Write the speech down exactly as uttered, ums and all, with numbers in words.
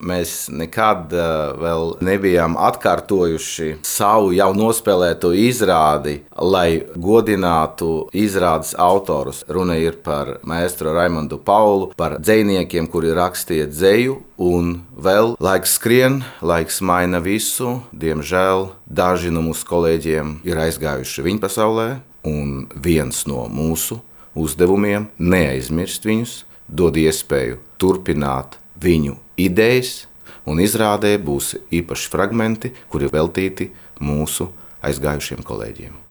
Mēs nekad uh, vēl nebijām atkārtojuši savu jau nospēlēto izrādi, lai godinātu izrādes autorus. Runa ir par maestro Raimondu Paulu, par dzejniekiem, kuri rakstīja dzeju, un vēl laiks skrien, laiks maina visu. Diemžēl daži no mūsu kolēģiem ir aizgājuši viņa pasaulē, un viens no mūsu uzdevumiem neaizmirst viņus, dod iespēju turpināt viņu idejas, un izrādē būs īpaši fragmenti, kuri veltīti mūsu aizgājušiem kolēģiem.